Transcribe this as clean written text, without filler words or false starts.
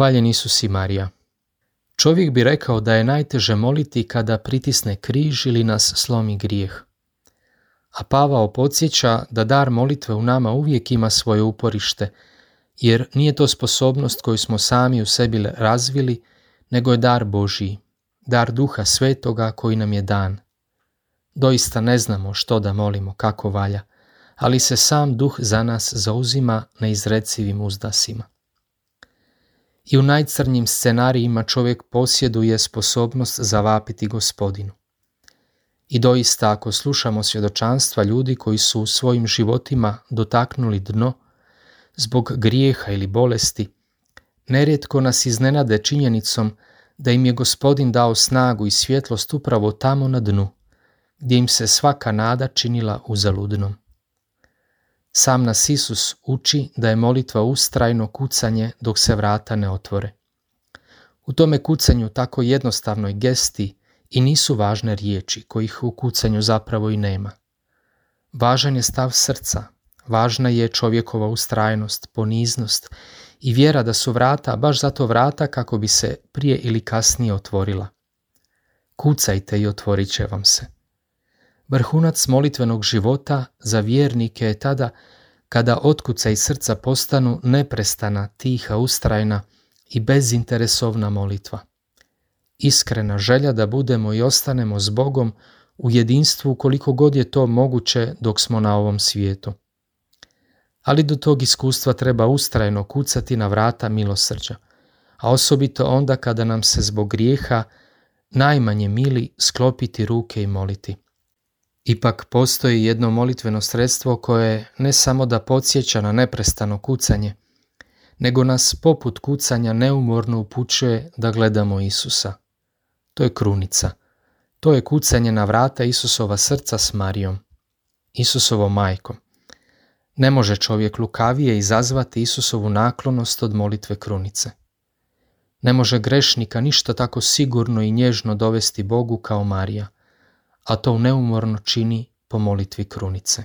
Hvaljen Isus i Marija. Čovjek bi rekao da je najteže moliti kada pritisne križ ili nas slomi grijeh. A Pavao podsjeća da dar molitve u nama uvijek ima svoje uporište, jer nije to sposobnost koju smo sami u sebi razvili, nego je dar Božiji, dar Duha Svetoga koji nam je dan. Doista ne znamo što da molimo, kako valja, ali se sam Duh za nas zauzima neizrecivim uzdasima. I u najcrnjim scenarijima čovjek posjeduje sposobnost zavapiti Gospodinu. I doista ako slušamo svjedočanstva ljudi koji su u svojim životima dotaknuli dno, zbog grijeha ili bolesti, nerijetko nas iznenade činjenicom da im je Gospodin dao snagu i svjetlost upravo tamo na dnu, gdje im se svaka nada činila uzaludnom. Sam nas Isus uči da je molitva ustrajno kucanje dok se vrata ne otvore. U tome kucanju tako jednostavnoj gesti i nisu važne riječi, kojih u kucanju zapravo i nema. Važan je stav srca, važna je čovjekova ustrajnost, poniznost i vjera da su vrata baš zato vrata kako bi se prije ili kasnije otvorila. Kucajte i otvorit će vam se. Vrhunac molitvenog života za vjernike je tada kada otkucaji srca postanu neprestana, tiha, ustrajna i bezinteresovna molitva. Iskrena želja da budemo i ostanemo s Bogom u jedinstvu koliko god je to moguće dok smo na ovom svijetu. Ali do tog iskustva treba ustrajno kucati na vrata milosrđa, a osobito onda kada nam se zbog grijeha najmanje mili sklopiti ruke i moliti. Ipak postoji jedno molitveno sredstvo koje ne samo da podsjeća na neprestano kucanje, nego nas poput kucanja neumorno upućuje da gledamo Isusa. To je krunica. To je kucanje na vrata Isusova srca s Marijom, Isusovom majkom. Ne može čovjek lukavije izazvati Isusovu naklonost od molitve krunice. Ne može grešnika ništa tako sigurno i nježno dovesti Bogu kao Marija, a to neumorno čini po molitvi krunice.